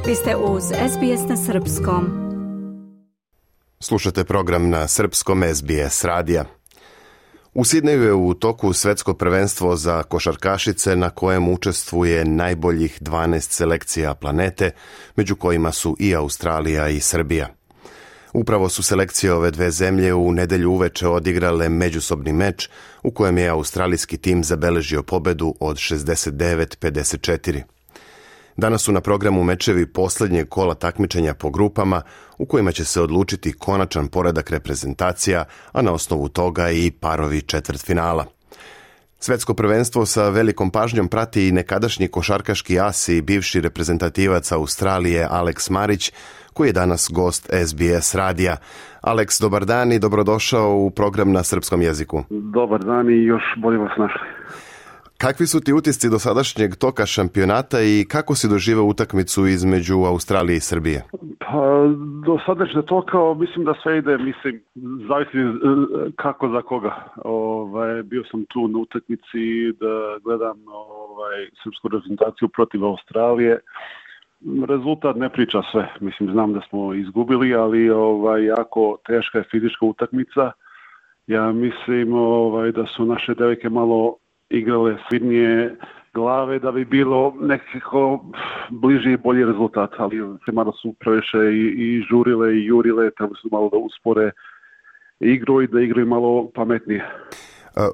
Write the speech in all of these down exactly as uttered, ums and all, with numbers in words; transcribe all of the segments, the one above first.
Vi ste uz S B S na srpskom. Slušate program na srpskom S B S radija. U Sidneju je u toku svetsko prvenstvo za košarkašice na kojem učestvuje najboljih dvanaest selekcija planete, među kojima su i Australija i Srbija. Upravo su selekcije ove dve zemlje u nedelju uveče odigrale međusobni meč u kojem je australijski tim zabeležio pobedu od šezdeset devet pedeset četiri. Danas su na programu mečevi posljednjeg kola takmičenja po grupama u kojima će se odlučiti konačan poredak reprezentacija, a na osnovu toga i parovi četvrtfinala. Svetsko prvenstvo sa velikom pažnjom prati i nekadašnji košarkaški as i bivši reprezentativac Australije Alex Marić, koji je danas gost S B S radija. Alex, dobar dan i dobrodošao u program na srpskom jeziku. Dobar dan i još bolje vas našli. Kakvi su ti utisci do sadašnjeg toka šampionata i kako si doživeo utakmicu između Australije i Srbije? Pa, do sadašnjeg toka mislim da sve ide, mislim, zavisi kako za koga. Ovaj, bio sam tu na utakmici da gledam ovaj, srpsku reprezentaciju protiv Australije. Rezultat ne priča sve. Mislim, znam da smo izgubili, ali ovaj, jako teška je fizička utakmica. Ja mislim ovaj, da su naše devojke malo igrale svidnije glave da bi bilo nekako bliži i bolji rezultat, ali se malo su previše i, i žurile i jurile, treba su malo da uspore igru i da igraju malo pametnije.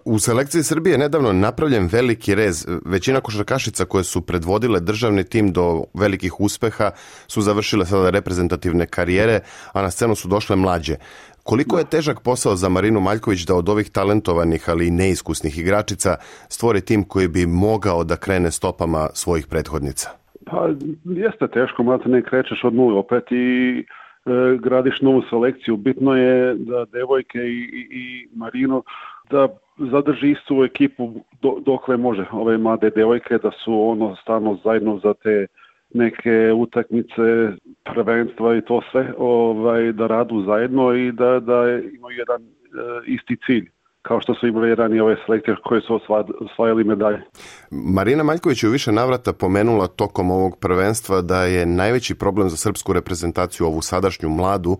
U selekciji Srbije nedavno napravljen veliki rez. Većina košarkašica koje su predvodile državni tim do velikih uspeha su završile sada reprezentativne karijere, a na scenu su došle mlađe. Koliko je težak posao za Marinu Maljković da od ovih talentovanih, ali i neiskusnih igračica stvori tim koji bi mogao da krene stopama svojih prethodnica? Pa jeste teško, mada ne krećeš od nule opet i e, gradiš novu selekciju. Bitno je da devojke i, i, i Marino da zadrži istu ekipu do, dokle može. Ove mlade devojke da su ono stalno zajedno za te neke utakmice, prvenstva i to sve, ovaj, da radu zajedno i da, da imaju jedan e, isti cilj, kao što su imali ranije ove selekcije koje su osvajali medalje. Marina Maljković je u više navrata pomenula tokom ovog prvenstva da je najveći problem za srpsku reprezentaciju, ovu sadašnju mladu,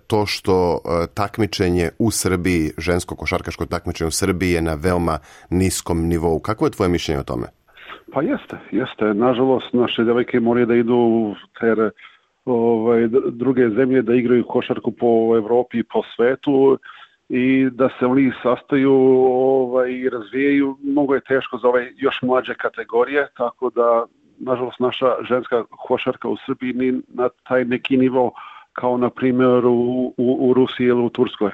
to što takmičenje u Srbiji, žensko košarkaško takmičenje u Srbiji je na veoma niskom nivou. Kako je tvoje mišljenje o tome? Pa jeste, jeste. Nažalost, naše devojke moraju da idu u ter, ovaj, druge zemlje, da igraju košarku po Evropi i po svetu i da se oni sastaju ovaj, i razvijaju. Mnogo je teško za ove još mlađe kategorije, tako da, nažalost, naša ženska košarka u Srbiji ni na taj neki nivo kao na primjer u, u, u Rusiji ili u Turskoj.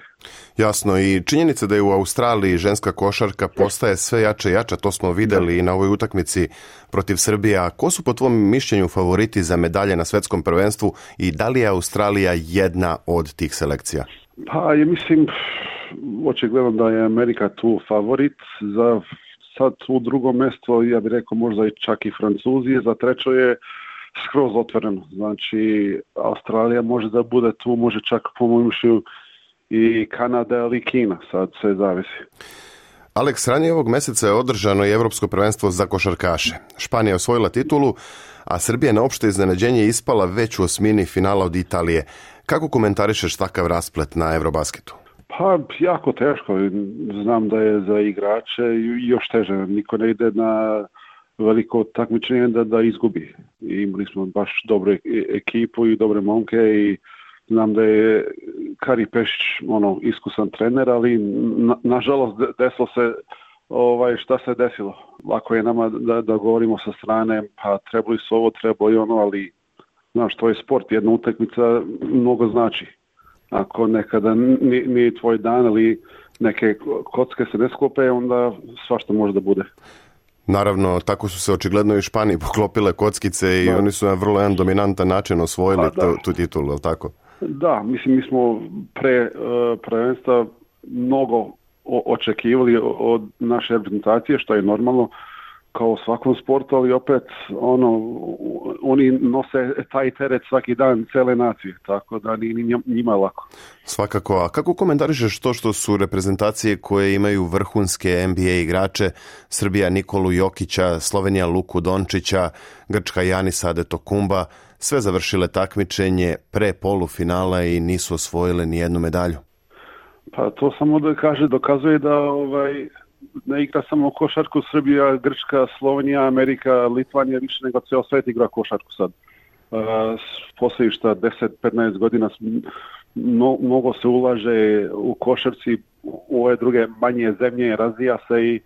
Jasno, i činjenica da je u Australiji ženska košarka postaje sve jače i jača, to smo vidjeli i na ovoj utakmici protiv Srbije. A ko su po tvom mišljenju favoriti za medalje na svetskom prvenstvu i da li je Australija jedna od tih selekcija? Pa ja mislim, očigledno da je Amerika tu favorit, za sad u drugo mjesto, ja bih rekao možda i čak i Francuzi, za treće je skroz otvoreno. Znači, Australija može da bude tu, može čak po mojom mišljenju i Kanada ili Kina, sad sve zavisi. Alex, ranije ovog mjeseca je održano i Evropsko prvenstvo za košarkaše. Španija je osvojila titulu, a Srbija na opšte iznenađenje ispala već u osmini finala od Italije. Kako komentarišeš takav rasplet na Eurobasketu? Pa, jako teško. Znam da je za igrače još teže. Niko ne ide na veliko takmičenje da, da izgubi. I imali smo baš dobru ekipu i dobre momke i znam da je Kari Pešić ono, iskusan trener, ali na, nažalost desilo se ovaj, šta se desilo. Lako je nama da, da govorimo sa strane, pa trebali su ovo, trebali ono, ali znaš, to je sport, jedna utakmica mnogo znači. Ako nekada nije, nije tvoj dan ili neke kocke se ne sklope, onda svašta može da bude. Naravno, tako su se očigledno i u Španiji poklopile kockice i da. Oni su na vrlo jedan dominantan način osvojili tu, tu titulu, je li tako? Da, mislim, mi smo pre uh, prvenstva mnogo o- očekivali od naše reprezentacije, što je normalno. kao u svakom sportu, ali opet ono, oni nose taj teret svaki dan cele nacije, tako da ni njima lako. Svakako, a kako komentarišeš to što su reprezentacije koje imaju vrhunske N B A igrače, Srbija Nikolu Jokića, Slovenija Luku Dončića, Grčka Janisa Antetokounmpa, sve završile takmičenje pre polufinala i nisu osvojile ni jednu medalju? Pa to samo da kaže, dokazuje da ovaj ne igra samo košarku Srbija, Grčka, Slovenija, Amerika, Litvanija, više nego ceo svet igra košarku sad. Uh, poslije šta deset do petnaest godina no, mnogo se ulaže u košarci, u ove druge manje zemlje, razvija se i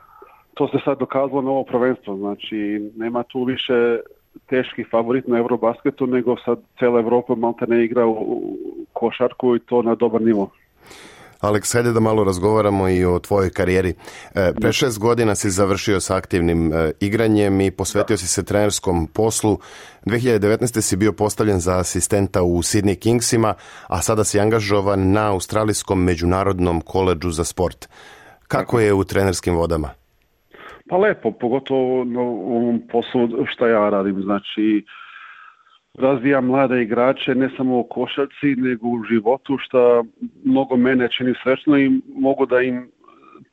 to se sad dokazalo na ovo prvenstvo. Znači, nema tu više teški favorit na Eurobasketu, nego sad cijela Evropa malta ne igra u košarku i to na dobar nivo. Aleks, hajde da malo razgovaramo i o tvojoj karijeri. E, pre šest godina si završio sa aktivnim e, igranjem i posvetio si se trenerskom poslu. dve hiljade devetnaeste. si bio postavljen za asistenta u Sydney Kingsima, a sada si angažovan na Australijskom međunarodnom koledžu za sport. Kako je u trenerskim vodama? Pa lepo, pogotovo na ovom poslu što ja radim. Znači, razvijam mlade igrače ne samo u košarci, nego u životu, što mnogo mene čini srećno i mogu da im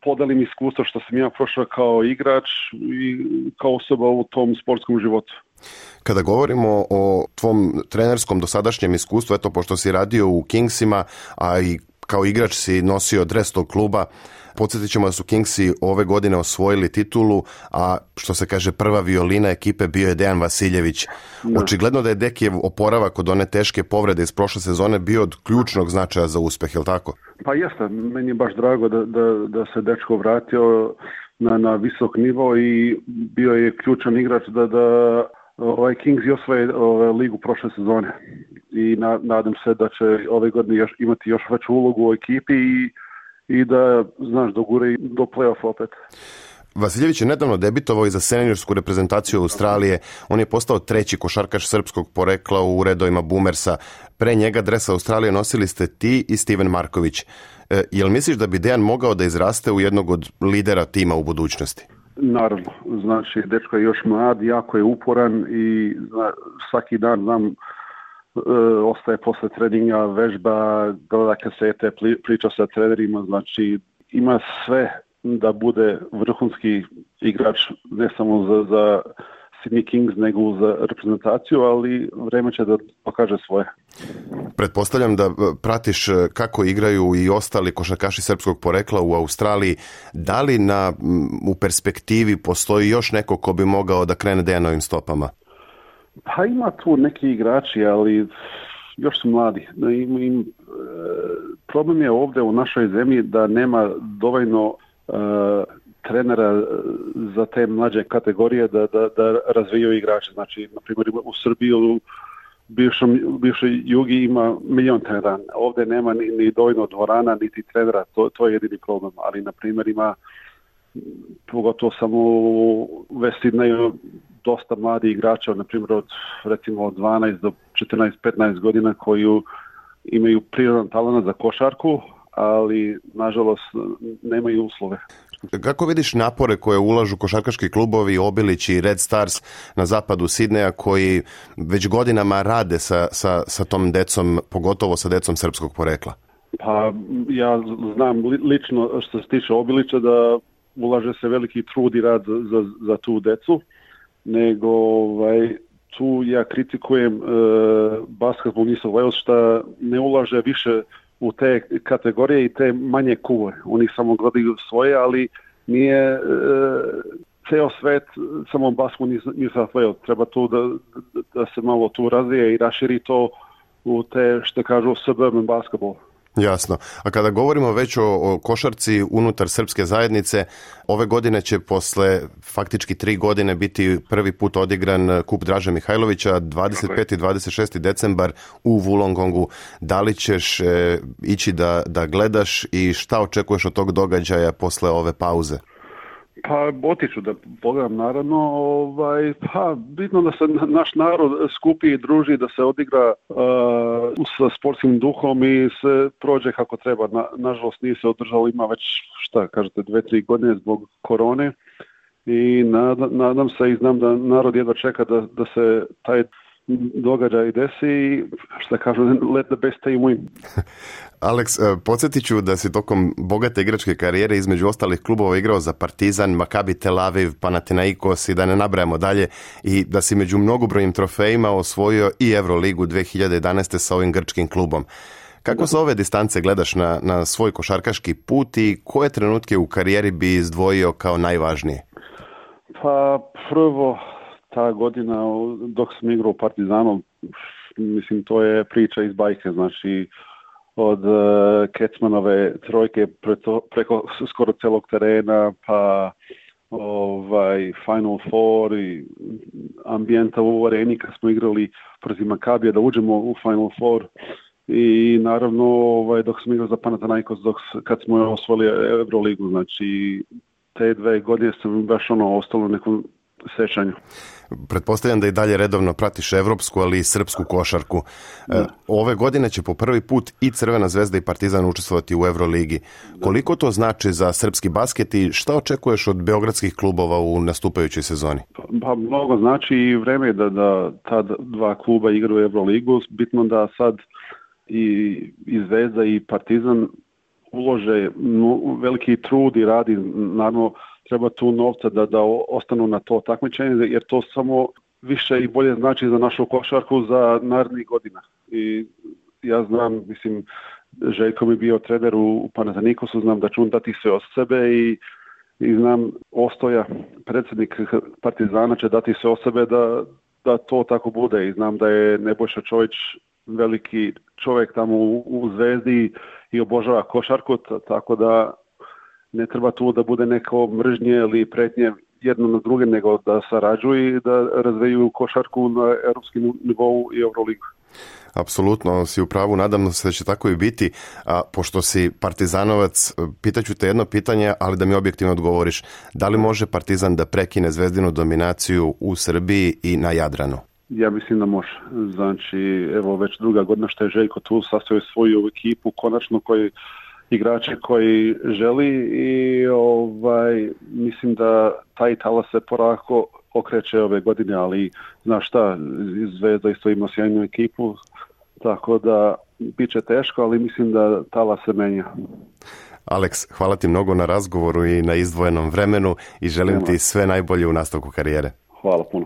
podelim iskustvo što sam ja prošao kao igrač i kao osoba u tom sportskom životu. Kada govorimo o tvom trenerskom dosadašnjem iskustvu, eto, pošto si radio u Kingsima, a i kao igrač si nosio dres tog kluba, podsjetit ćemo da su Kingsi ove godine osvojili titulu, a što se kaže prva violina ekipe bio je Dejan Vasiljević. Da. Očigledno da je Dekijev oporavak od one teške povrede iz prošle sezone bio od ključnog značaja za uspeh, je li tako? Pa jeste, meni je baš drago da, da, da se dečko vratio na, na visok nivo i bio je ključan igrač da, da ovaj Kings i osvoje ovaj, ligu prošle sezone. I na, nadam se da će ove godine još, imati još veću ulogu u ekipi i i da, znaš, dogure do play-off opet. Vasiljević je nedavno debitovao i za seniorsku reprezentaciju Australije. On je postao treći košarkaš srpskog porekla u redovima Boomersa. Pre njega dres Australije nosili ste ti i Steven Marković. E, jel misliš da bi Dejan mogao da izraste u jednog od lidera tima u budućnosti? Naravno. Znači, dečko je još mlad, jako je uporan i zna, svaki dan znam E, ostaje posle treninga, vežba, gleda kasete, priča sa trenerima, znači ima sve da bude vrhunski igrač ne samo za, za Sydney Kings nego za reprezentaciju, ali vreme će da pokaže svoje. Pretpostavljam da pratiš kako igraju i ostali košarkaši srpskog porekla u Australiji. Da li na, u perspektivi postoji još neko ko bi mogao da krene Dejanovim stopama? Pa ima tu neki igrači, ali još su mladi. Im, im, problem je ovdje u našoj zemlji da nema dovoljno uh, trenera za te mlađe kategorije da, da, da razvijaju igrače. Znači, na primjer, u Srbiji u bivšoj Jugi ima milion trenera. Ovdje nema ni, ni dovoljno dvorana, niti trenera. To, to je jedini problem. Ali, na primjer, ima pogotovo samo u West Sydneyu dosta mladi igrača, na primjer od recimo od dvanaest do četrnaest petnaest godina koji imaju prirodan talent za košarku, ali nažalost nemaju uslove. Kako vidiš napore koje ulažu košarkaški klubovi Obilić i Red Stars na zapadu Sidneja koji već godinama rade sa, sa, sa tom decom, pogotovo sa decom srpskog porekla? Pa ja znam li, lično što se tiče Obilića da ulaže se veliki trud i rad za, za tu decu, nego ovaj, tu ja kritikujem e, Basketball New South Wales što ne ulaže više u te kategorije i te manje kuve. Oni samo gledaju svoje, ali nije e, ceo svet samo Basketball New South Wales. Treba tu da, da se malo tu razvije i raširi to u te, što kažu, suburban basketball. Jasno. A kada govorimo već o, o košarci unutar srpske zajednice, ove godine će posle faktički tri godine biti prvi put odigran kup Draže Mihajlovića, dvadeset peti i dvadeset šesti decembar u Wollongongu. Da li ćeš e, ići da, da gledaš i šta očekuješ od tog događaja posle ove pauze? Pa otiću da pogledam naravno, ovaj, pa bitno da se naš narod skupi i druži, da se odigra uh, sa sportskim duhom i se prođe kako treba. Na, nažalost nije se održalo, ima već šta kažete dve, tri godine zbog korone i nadam, nadam se i znam da narod jedva čeka da, da se taj događaj desi i što kažu, let the best team win. Alex, podsjetit ću da si tokom bogate igračke karijere između ostalih klubova igrao za Partizan, Maccabi Tel Aviv, Panathinaikos i da ne nabrajamo dalje, i da si među mnogobrojnim trofejima osvojio i Euroligu dvije hiljade jedanaeste sa ovim grčkim klubom. Kako sa ove distance gledaš na, na svoj košarkaški put i koje trenutke u karijeri bi izdvojio kao najvažnije? Pa prvo, ta godina dok sam igrao u Partizanu, mislim, to je priča iz bajke, znači od uh, Kecmanove trojke preko, preko skoro celog terena, pa ovaj Final Four i ambijenta u areni kad smo igrali protiv Macabija da uđemo u Final Four, i naravno ovaj, dok sam igrao za Panathinaikos, dok kad smo osvojili Euroligu, znači te dve godine sam baš ono ostalo u nekom sećanju. Pretpostavljam da i dalje redovno pratiš evropsku, ali i srpsku košarku. Da. Ove godine će po prvi put i Crvena zvezda i Partizan učestvovati u Euroligi. Da. Koliko to znači za srpski basket i šta očekuješ od beogradskih klubova u nastupajućoj sezoni? Pa mnogo znači i vreme da, da ta dva kluba igraju u Euroligu. Bitno da sad i, i Zvezda i Partizan ulože veliki trud i radi, naravno treba tu novca da, da ostanu na to takmičenje, jer to samo više i bolje znači za našu košarku za narednih godina. I ja znam, mislim, Željko mi bio trener u Panathinaikosu, znam da ću on dati sve od sebe i, i znam Ostoja, predsjednik Partizana, će dati sve od sebe da, da to tako bude, i znam da je Nebojša Čović veliki čovjek tamo u, u Zvezdi i obožava košarku, tako da ne treba tu da bude neko mržnje ili pretnje jedno na druge, nego da sarađuju i da razvijaju košarku na europskom nivou i Euroligu. Apsolutno si u pravu, nadam se da će tako i biti. A pošto si Partizanovac, pitaću te jedno pitanje, ali da mi objektivno odgovoriš. Da li može Partizan da prekine zvezdinu dominaciju u Srbiji i na Jadranu? Ja mislim da može. Znači, evo već druga godina što je Željko tu sastavio svoju ekipu, konačno koji igrače koji želi, i ovaj mislim da taj talas se porako okreće ove godine, ali znaš šta, Zvezda isto ima sjajnu ekipu, tako da bit će teško, ali mislim da talas se menja. Alex, hvala ti mnogo na razgovoru i na izdvojenom vremenu i želim Nema. ti sve najbolje u nastavku karijere. Hvala puno.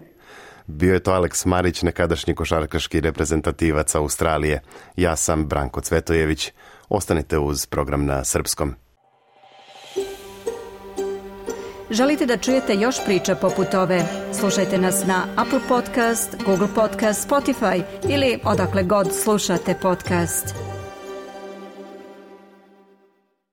Bio je to Alex Marić, nekadašnji košarkaški reprezentativac Australije. Ja sam Branko Cvetojević. Ostanite uz program na srpskom. Želite da čujete još priča poput ove? Slušajte nas na Apple Podcast, Google Podcast, Spotify ili odakle god slušate podcast.